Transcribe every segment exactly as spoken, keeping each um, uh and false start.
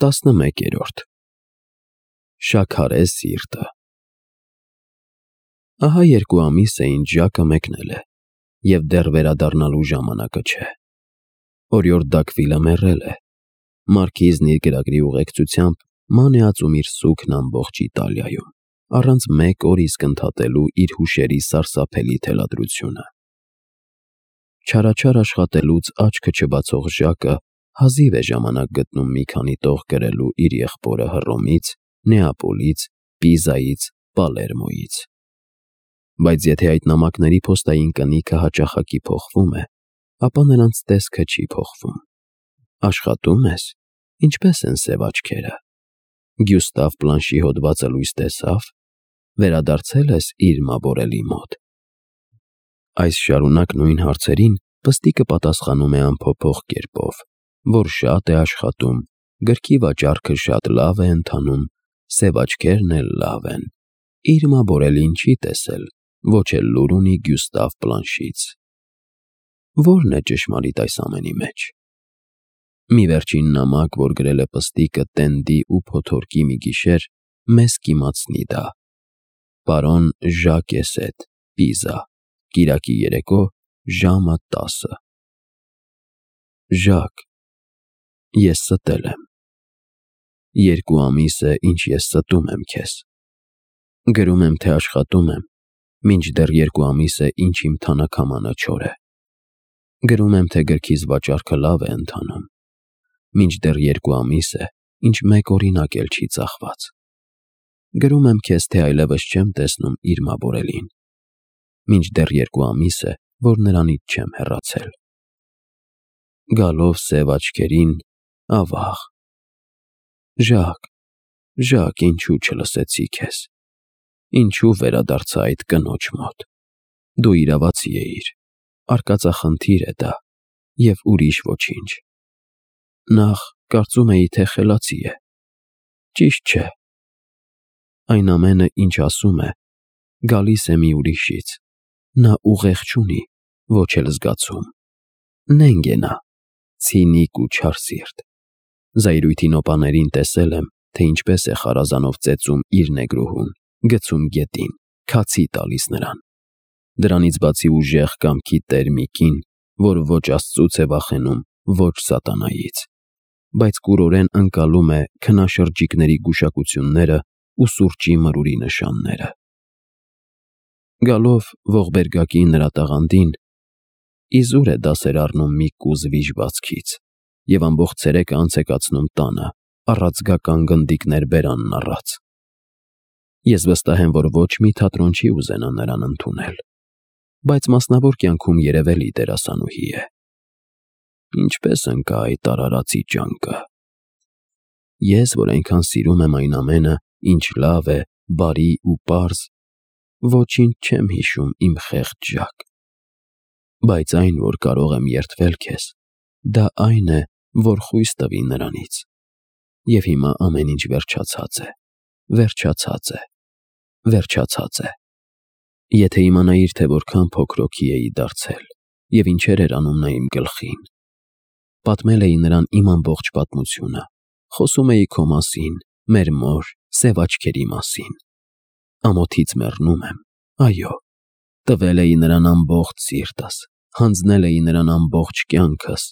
տասնմեկերորդ Շաքարե սիրտը Ահա երկու ամիս է ինչ Ժակը մեկնել է, և դեռ վերադառնալու ժամանակը չէ։ Օրիորդ Դաքվիլը մեռել է։ Մարքիզն իր գրագրի ուղեկցությամբ ման է ածում իր սուգն ամբողջ Իտալիայում, առանց մեկ օր իսկ ընդհատելու իր հուշերի սարսափելի թելադրությունը։ Չարաչար աշխատելուց աչքը չբացող Ժակը հազիվ է ժամանակ գտնում մի քանի տող գրելու իր եղբորը Հռոմից, Նեապոլից, Պիզայից, Պալերմոյից։ Բայց եթե այդ նամակների փոստային կնիքը հաճախակի փոխվում է, ապա նրանց տեսքը չի փոխվում։ Աշխատում ես, ինչպես են սև աչքերը։ Գյուստավ Պլանշի հոդվածը լույս տեսավ, վերադարձել ես իր Մաբորելի մոտ։ Այս շարունակ նույն հարցերին Պստիկը պատասխանում է անփոփոխ կերպով, որ շատ է աշխատում, գրքի վաճառքը շատ լավ է ընթանում, սև աչքերն էլ լավ են, իր Մաբորելին չի տեսել, ոչ էլ լուր ունի Գյուստավ Պլանշից։ Ո՞րն է ճշմարիտ այս ամենի մեջ։ Մի վերջին նամակ, որ գրել է Պստիկը տենդի ու փոթորկի մի գիշեր, մեզ կիմացնի դա։ Պարոն Ժակ Էսետ, Պիզա, կիրակի երեկո, ժամը տասը։ Ժակ, ես ստել եմ։ Երկու ամիս է, ինչ ես ստում եմ քեզ։ Գրում եմ, թե աշխատում եմ, մինչդեռ երկու ամիս է, ինչ իմ թանաքամանը չոր է։ Գրում եմ, թե գրքիս վաճառքը լավ է ընթանում, մինչդեռ երկու ամիս է, ինչ մեկ օրինակ էլ չի ծախված։ Գրում եմ քեզ, թե այլևս չեմ տեսնում իր Մաբորելին, մինչդեռ երկու ամիս է, որ նրանից չեմ հեռացել։ Գալով սև աչքերին, ավաղ։ Ժակ, Ժակ, ինչու չլսեցի քեզ։ Ինչու վերադարձա այդ կնոջ մոտ։ Դու իրավացի էիր, արկածախնդիր է դա, և ուրիշ ոչինչ։ Նախ, կարծում էի, թե խելացի է։ Ճիշտ չէ։ Այն ամենը, ինչ ասում է, գալիս է մի ուրիշից։ Նա ուղեղ չունի, ոչ էլ զգացում։ Նենգ է նա, ցինիկ ու չարսիրտ։ Զայրույթի նոպաներին տեսել եմ, թե ինչպես է խարազանով ծեծում իր նեգրուհուն, գցում գետին, քացի տալիս նրան։ Դրանից բացի ուժեղ կամքի տեր մի կին, որ ոչ Աստծուց է վախենում, ոչ սատանայից, բայց կուրորեն ընկալում է քնաշրջիկների գուշակությունները ու սուրճի մրուրի նշանները։ Գալով ողբերգակի նրա տաղանդին, իզուր է դասեր առնում մի կուզ վիժվածքից և ամբողջ ցերեկը անց է կացնում տանը, առաձգական գնդիկներ բերանն առած։ Ես վստահ եմ, որ ոչ մի թատրոն չի ուզենա նրան ընդունել, բայց մասնավոր կյանքում երևելի դերասանուհի է։ Ինչպես ընկա այդ արարածի ճանկը։ Ես, որ այնքան սիրում եմ այն ամենը, ինչ լավ է, բարի ու պարզ, ոչինչ չեմ հիշում իմ խեղճ Ժակ։ Բայց այն, որ կարող եմ երդվել քեզ, դա այն է, որ խույս տվի նրանից։ Եվ հիմա ամեն ինչ վերջացած է, վերջացած է, վերջացած է։ Եթե իմանայիր, թե որքան փոքրոքի էի դարձել, և ինչեր էր անում նա իմ գլխին։ Պատմել էի նրան իմ ամբողջ պատմությունը, խոսում էի քո մասին, մեր մոր, սև աչքերի մասին։ Ամոթից մեռնում եմ, այո, տվել էի նրան ամբողջ սիրտս, հանձնել էի նրան ամբողջ կյանքս,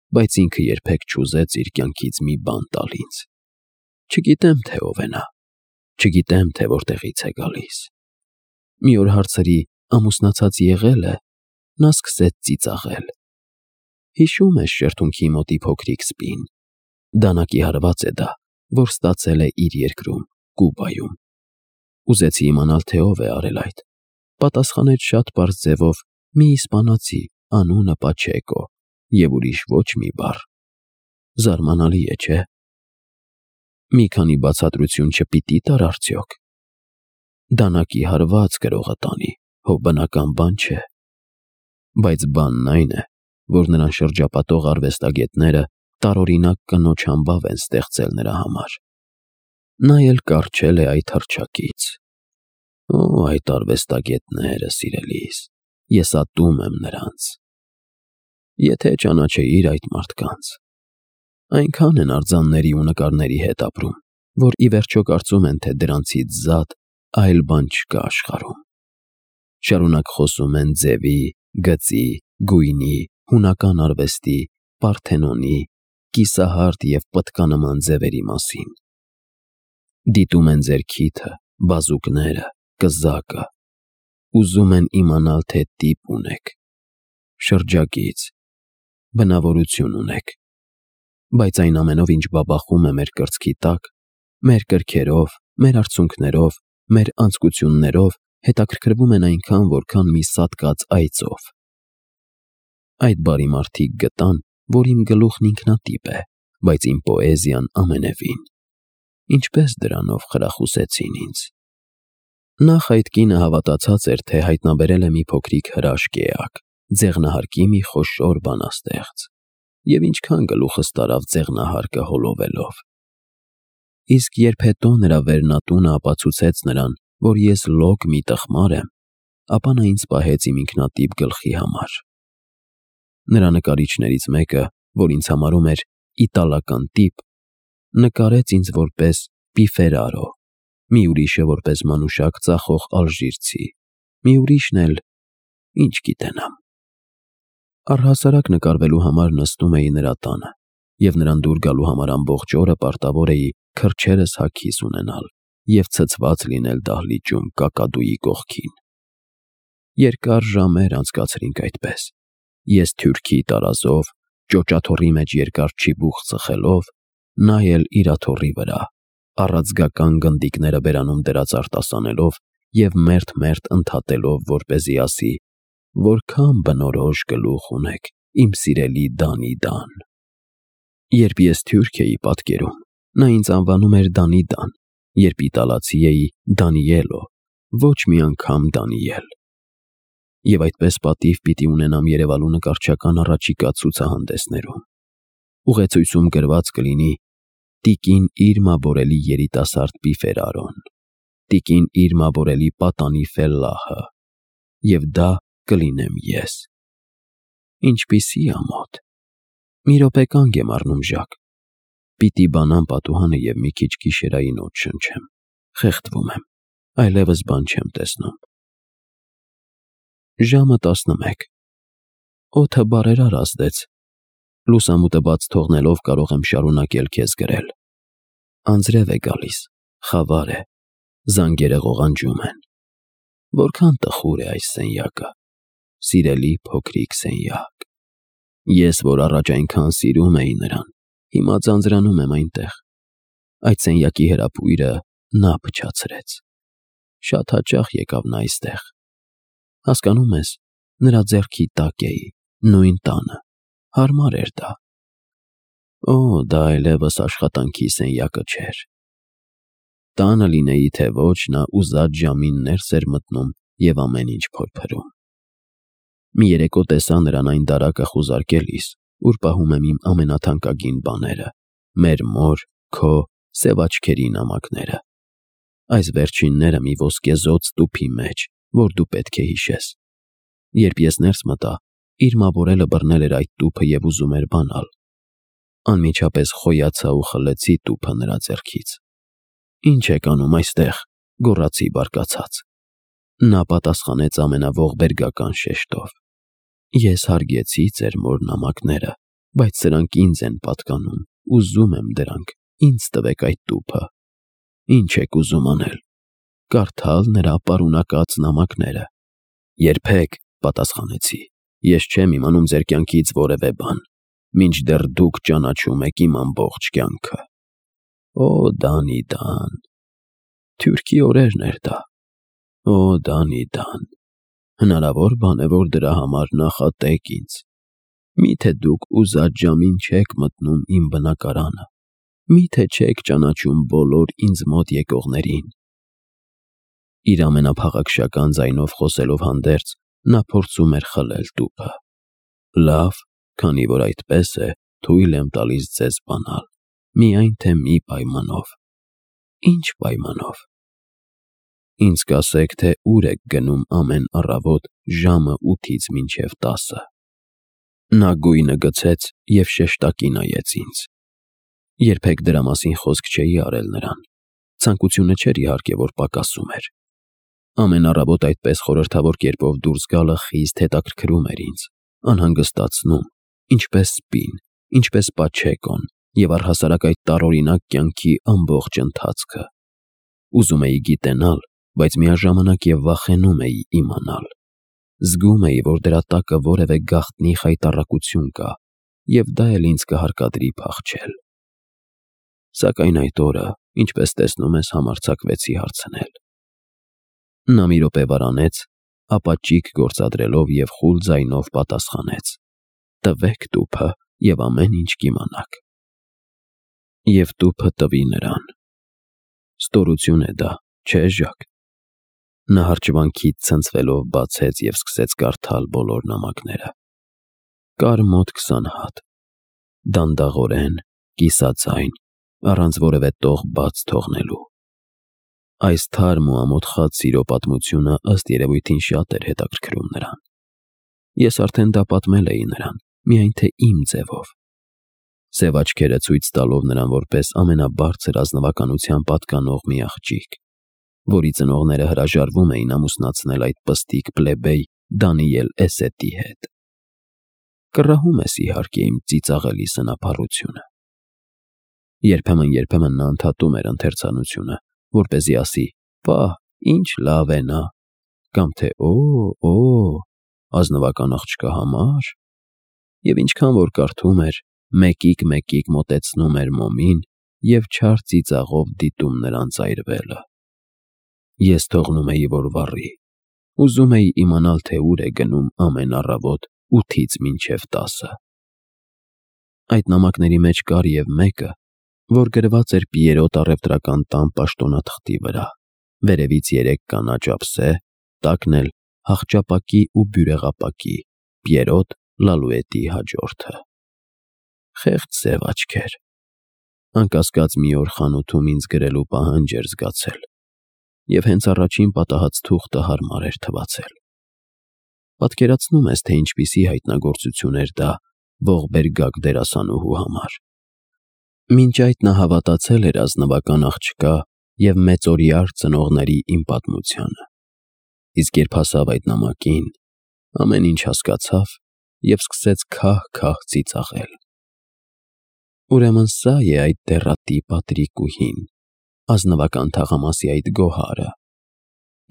բայց ինքը երբեք չուզեց իր կյանքից մի բան տալ ինձ։ Չգիտեմ, թե ով է նա, չգիտեմ, թե որտեղից է գալիս։ Մի օր հարցրի, ամուսնացած եղե՞լ է, նա սկսեց ծիծաղել։ Հիշում ես շրթունքի մոտի փոքրիկ սպին։ Դանակի հարված է դա, որ ստացել է իր երկրում, Կուբայում։ Ուզեցի իմանալ, թե ով է արել այդ։ Պատասխանեց շատ պարզ ձևով մի իսպանացի, անունը Պաչեկո, և ուրիշ ոչ մի բառ։ Զարմանալի է, չէ՞։ Մի քանի բացատրություն չպիտի տար արդյոք։ Դանակի հարված գրողը տանի, հո բնական բան չէ։ Բայց բանն այն է, որ նրան շրջապատող արվեստագետները տարօրինակ կնոջ համբավ են ստեղծել նրա համար։ Նա էլ կառչել է այդ հռչակից։ Օ, այդ արվեստագետները, սիրելիս, ես ատում եմ նրանց։ Եթե ճանաչեիր այդ մարդկանց։ Այնքան են արձանների ու նկարների հետ ապրում, որ ի վերջո կարծում են, թե դրանցից զատ այլ բան չկա աշխարհում։ Շարունակ խոսում են ձևի, գծի, գույնի, հունական արվեստի, Պարթենոնի, կիսահարդ և պտկանման ձևերի մասին։ Դիտում են ձեր քիթը, բազուկները, կզակը, ուզում են իմանալ, թե տիպ ունեք, շրջագիծ, բնավորություն ունեք, բայց այն ամենով, ինչ բաբախում է մեր կրծքի տակ, մեր կրքերով, մեր արցունքներով, մեր անձկություններով, հետաքրքրվում են այնքան, որքան մի սատկած այծով։ Այդ բարի մարդիկ գտան, որ իմ գլուխն ինքնատիպ է, բայց իմ պոեզիան ամենևին։ Ինչպես դրանով խրախուսեցին ինձ։ Նախ այդ կինը հավատացած էր, թե հայտնաբերել է մի փոքրիկ հրաշք էակ, ձեղնահարկի մի խոշոր բանաստեղծ, և ինչքան գլուխս տարավ ձեղնահարկը հոլովելով։ Իսկ երբ հետո նրա վերնատունը ապացուցեց նրան, որ ես լոկ մի տխմար եմ, ապա նա ինձ պահեց իմ ինքնատիպ գլխի համար։ Նրա նկարիչներից մեկը, որ ինձ համարում էր իտալական տիպ, նկարեց ինձ որպես Պիֆերարո, մի ուրիշը որպես մանուշակ ծախող ալժիրցի, մի ուրիշն էլ ինչ գիտենամ։ Առհասարակ նկարվելու համար նստում էի նրա տանը, և նրան դուր գալու համար ամբողջ օրը պարտավոր էի քրջերս հագիս ունենալ և ցցված լինել դահլիճում կակադուի կողքին։ Երկար ժամեր անցկացրինք այդպես, ես թուրքի տարազով, ճոճաթոռի մեջ երկար չիբուխ ծխելով, նա էլ իր աթոռի վրա, առաձգական գնդիկները բերանում դրած արտասանելով և մերթ-մերթ ընդհատելով, որպեսզի ասի. «Որքան բնորոշ գլուխ ունեք, իմ սիրելի Դանի Դան»։ Երբ ես թուրք էի պատկերում, նա ինձ անվանում էր Դանի Դան, երբ իտալացի էի Դանիելո, ոչ մի անգամ Դանիել։ Եվ այդպես պատիվ պիտի ունենամ Երևանու նկարչական առաջիկա ցուցահանդեսներում։ Ուղեցույցում գրված կլինի «Տիկին Իրմա Բորելի երիտասարդ Պիֆերարոն», «Տիկին Իրմա Բորելի պատանի ֆելլահը», և դա կլինեմ ես։ Ինչպիսի ամոթ։ Մի րոպե կանգ եմ առնում Ժակ։ Պիտի բանամ պատուհանը և մի քիչ գիշերային օդ շնչեմ։ Խեղդվում եմ, այլևս բան չեմ տեսնում։ Ժամը տասնմեկ։ Օդը բարերար ազդեց։ Լուսամուտը բաց թողնելով կարող եմ շարունակել քեզ գրել։ Անձրև է գալիս, խավար է, զանգերը ղողանջում են։ Որքան տխուր է այս սենյակը, սիրելի փոքրիկ սենյակ։ Ես, որ առաջ այնքան սիրում էի նրան, հիմա ձանձրանում եմ այնտեղ։ Այդ սենյակի հրապույրը նա փչացրեց։ Շատ հաճախ եկավ նա այստեղ։ Հասկանում ես, նրա ձեռքի տակ էի, նույն տանը, հարմար էր դա։ Օ, դա այլևս աշխատանքի սենյակը չէր։ Տանը լինեի, թե ոչ, նա ուզած ժամին ներս էր մտնում և ամեն ինչ փորփրում։ Մի երեկո տեսա նրան այն դարակը խուզարկելիս, ուր պահում եմ իմ ամենաթանկագին բաները, մեր մոր, քո, սև աչքերի նամակները։ Այս վերջինները մի ոսկեզօծ տուփի մեջ, որ դու պետք է հիշես։ Երբ ես ներս մտա, Իրմա Բորելը բռնել էր այդ տուփը և ուզում էր բանալ։ Անմիջապես խոյացա ու խլեցի տուփը նրա ձեռքից։ Ինչ եք անում այստեղ, գոռացի բարկացած։ Նա պատասխանեց ամենաողբերգական շեշտով. Ես հարգեցի ձեր մոր նամակները, բայց սրանք ինձ են պատկանում, ուզում եմ դրանք, ինձ տվեք այդ տուփը։ Ինչ եք ուզում անել։ Կարդալ նրա պարունակած նամակները։ Երբեք, պատասխանեցի, ես չեմ իմանում ձեր կյանքից որևէ բան, մինչդեռ դուք ճանաչում եք իմ ամբողջ կյանքը։ Օ, Դանի Դան, թուրքի օրերն էր դա։ Օ, Դանի Դան, հնարավոր բան է, որ դրա համար նախատեք ինձ։ Միթե դուք ուզած ժամին չեք մտնում իմ բնակարանը, միթե չեք ճանաչում բոլոր ինձ մոտ եկողներին։ Իր ամենափաղաքշական ձայնով խոսելով հանդերձ, նա փորձում էր խլել տուփը։ Լավ, քանի որ այդպես է, թույլ եմ տալիս ձեզ բանալ, միայն թե մի պայմանով։ Ինչ պայմանով։ Ինձ կասեք, թե ուր եք գնում ամեն առավոտ ժամը ութից մինչև տասը։ Նա գույնը գցեց և շեշտակի նայեց ինձ։ Երբեք դրա մասին խոսք չէի արել նրան։ Ցանկությունը չէր իհարկե, որ պակասում էր։ Ամեն առավոտ այդպես խորհրդավոր կերպով դուրս գալը խիստ հետաքրքրում էր ինձ, անհանգստացնում, ինչպես սպին, ինչպես Պաչեկոն և առհասարակ այդ տարօրինակ կյանքի ամբողջ ընթացքը։ Ուզում էի գիտենալ, բայց միաժամանակ և վախենում էի իմանալ։ Զգում էի, որ դրա տակը որևէ գաղտնի խայտառակություն կա, և դա էլ ինձ կհարկադրի փախչել։ Սակայն այդ օրը, ինչպես տեսնում ես, համարձակվեցի հարցնել։ Նա մի րոպե վարանեց, ապա ճիգ գործադրելով և խուլ ձայնով պատասխանեց. «Տվեք տուփը և ամեն ինչ կիմանաք»։ Եվ տուփը տվի նրան։ Ստորություն է դա, չէ՞ Ժակ։ Նա հրճվանքից ցնցվելով բացեց և սկսեց կարդալ բոլոր նամակները։ Կար մոտ քսան հատ։ Դանդաղորեն, կիսաձայն, առանց որևէ տող բաց թողնելու։ Այս թարմ ու ամոթխած սիրո պատմությունը ըստ երևույթին շատ էր հետաքրքրում նրան։ Ես արդեն դա պատմել էի նրան, միայն թե իմ ձևով։ Սև աչքերը ցույց տալով նրան որպես ամենաբարձր ազնվականության պատկանող մի աղջիկ, որի ծնողները հրաժարվում էին ամուսնացնել այդ պստիկ պլեբեյ Դանիել Էսետի հետ։ Կռահում ես իհարկե իմ ծիծաղելի սնափառությունը։ Երբեմն-երբեմն նա ընդհատում էր ընթերցանությունը, որպեսզի ասի. «Պահ, ինչ լավ է նա», կամ թե «Օ, օ, ազնվական աղջկա համար»։ Եվ ինչքան որ կարդում էր, մեկիկ-մեկիկ մոտեցնում էր մոմին և չար ծիծաղով դիտում նրան ծայրվելը։ Ես թողնում էի, որ վառի։ Ուզում էի իմանալ, թե ուր է գնում ամեն առավոտ ութից մինչև տասը։ Այդ նամակների մեջ կար և մեկը, որ գրված էր Պիերոտ առևտրական տան պաշտոնաթղթի վրա, վերևից երեք կանաչ ափսե, տակն էլ հախճապակի ու բյուրեղապակի Պիերոտ Լալուետի հաջորդը։ Խեղճ սև աչքեր։ Անկասկած մի օր խանութում ինձ գրելու պահանջ էր զգացել, և հենց առաջին պատահած թուղթը հարմար էր թվացել։ Պատկերացնում ես, թե ինչպիսի հայտնագործություն էր դա ողբերգակ դերասանուհու համար։ Մինչ այդ նա հավատացել էր ազնվական աղջկա և մեծօրյար ծնողների իմ պատմությանը։ Իսկ երբ հասավ այդ նամակին, ամեն ինչ հասկացավ և սկսեց քահ-քահ ծիծաղել։ Ուրեմն սա է այդ դեռատի Պատրիկուհին, ազնվական թաղամասի այդ գոհարը։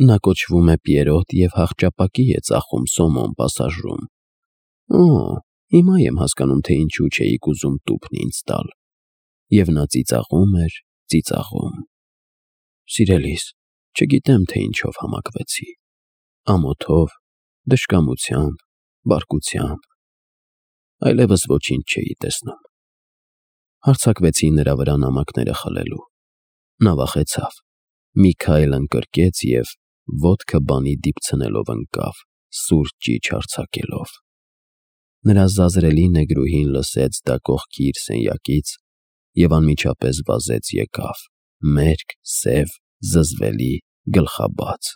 Նա կոչվում է Պիերոտ և հախճապակի է ծախում Սոմոն պասաժում։ Օ, հիմա եմ հասկանում, թե ինչու չէիք ուզում տուփն ինձ տալ։ Եվ նա ծիծաղում էր, ծիծաղում։ Սիրելիս, չգիտեմ, թե ինչով համակվեցի։ Ամոթով, դժկամությամբ, բարկությամբ։ Այլևս ոչինչ չէի տեսնում։ Հարձակվեցի նրա վրա նամակները խլելու։ Նա վախեցավ։ Մի քայլ ընկրկեց և ոտքը բանի դիպցնելով ընկավ, սուր ճիչ արձակելով։ Նրա զազրելի նեգրուհին լսեց դա կողքի իր սենյակից և անմիջապես վազեց եկավ, մերկ, սև, զզվելի, գլխաբաց։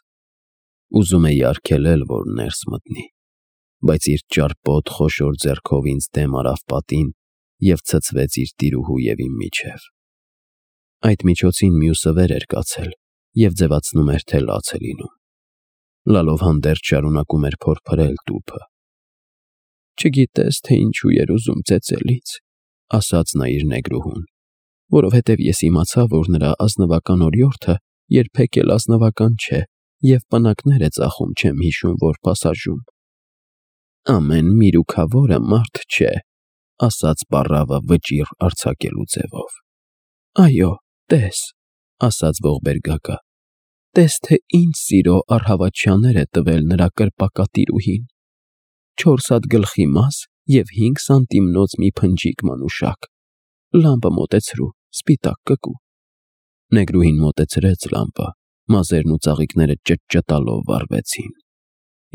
Ուզում էի արգելել, որ ներս մտնի, բայց իր ճարպոտ խոշոր ձեռքով ինձ դեմ արավ պատին և ցցվեց իր տիրուհու և իմ միջև։ Այդ միջոցին մյուսը վեր էր կացել և ձևացնում էր, թե լաց է լինում։ Լալով հանդերձ շարունակում էր փորփրել տուփը։ Չգիտես, թե ինչու էր ուզում ծեծել ինձ, ասաց նա իր նեգրուհուն, որովհետև ես իմացա, որ նրա ազնվական օրիորդը երբեք էլ ազնվական չէ և պնակներ է ծախում, չեմ հիշում որ պասաժում։ Ամեն միրուքավորը մարդ չէ, ասաց պառավը վճիռ արձակելու ձևով։ Այո, տես, ասաց ողբերգակը, տես, թե ինչ սիրո առհավատչյաներ է տվել նրա կրպակատիրուհին։ Չորս հատ գլխի մազ և հինգ սանտիմնոց մի փնջիկ մանուշակ։ Լամպը մոտեցրու, սպիտակ կկու։ Նեգրուհին մոտեցրեց լամպը, մազերն ու ծաղիկները ճտճտալով վառվեցին։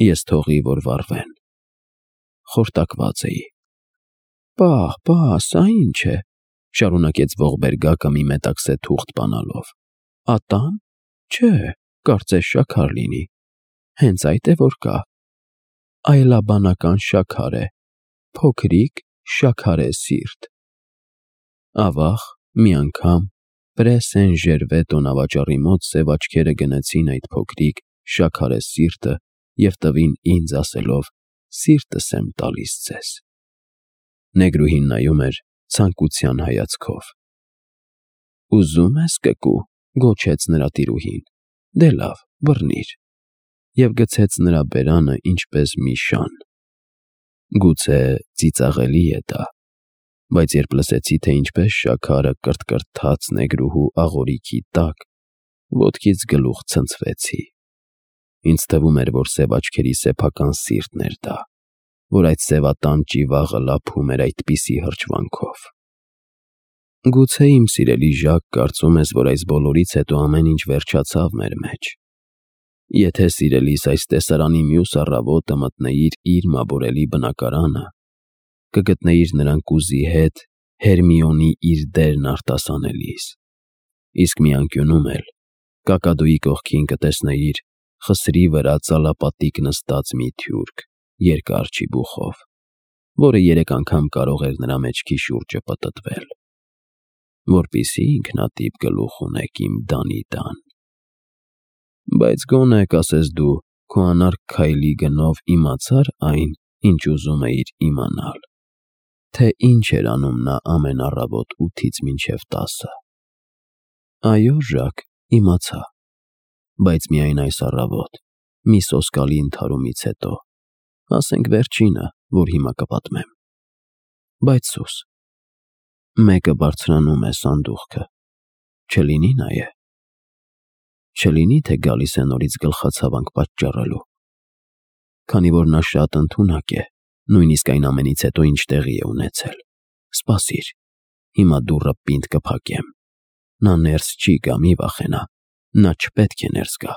Ես թողի, որ վառվեն։ Խորտակված էի։ Պահ, պահ, սա ինչ է, շարունակեց ողբերգակը մի մետաքսե թուղթ բանալով։ Ատամ։ Չէ, կարծես շաքար լինի։ Հենց այդ է որ կա։ Այլաբանական շաքար է, փոքրիկ շաքարե սիրտ։ Ավաղ, Մի անգամ Պրեսեն Ժերվե տոնավաճառի մոտ սև աչքերը գնեցին այդ փոքրիկ, շաքարե սիրտը և տվին ինձ ասելով. «Սիրտս եմ տալիս ձեզ»։ Նեգրուհին նայում էր ցանկության հայացքով։ «Ուզում ես կկու», գոչեց նրա տիրուհին։ «Դե լավ, բռնիր»։ Եվ գցեց նրա բերանը ինչպես մի շան։ Գուցե ծիծաղելի է դա, բայց երբ լսեցի, թե ինչպես շաքարը կրթկրթաց նեգրուհու աղորիքի տակ, ոտքից գլուխ ցնցվեցի։ Ինձ թվում էր, որ սև աչքերի սեփական սիրտն էր դա, որ այդ սևատան ճիվաղը լափում էր այդպիսի հրճվանքով։ Գուցե իմ սիրելի Ժակ կարծում ես, որ այս բոլորից հետո ամեն ինչ վերջացավ մեր մեջ։ Եթե սիրելիս այս տեսարանի մյուս առավոտը մտնեիր իր մաբորելի բնակարանը, կգտնեիր նրան կուզի հետ Հերմիոնի իր դերն արտասանելիս, իսկ մի անկյունում էլ կակադոյի կողքին կտեսնեիր խսրի վրա ծալապատիկ նստած մի թուրք երկար ճիբուխով, որը երեք անգամ կարող էր նրա մեջքի շուրջը պտտվել, որպեսզի ինքնատիպ գլուխ ունեք իմ Դանի տան։ Բայց գոնե կասես դու քո անարգ քայլի գնով իմացար այն, ինչ ուզում էիր իմանալ, թե ինչ էր անում նա ամեն առավոտ ութից մինչև տասը։ Այո, Ժակ, իմացա, բայց միայն այս առավոտ, մի սոսկալի ընդհարումից հետո, ասենք վերջինը, որ հիմա կպատմեմ։ Բայց սուս, մեկը բարձրանում է սանդուղքը, չլինի նա է։ Չլինի, թե գալիս է նորից գլխացավանք պատճառելու, քանի որ նա շատ ընդունակ է, նույնիսկ այն ամենից հետո, ինչ տեղի է ունեցել։ Սպասիր, հիմա դուռը պինդ կփակեմ։ Նա ներս չի գա, մի վախենա, նա չպետք է ներս գա։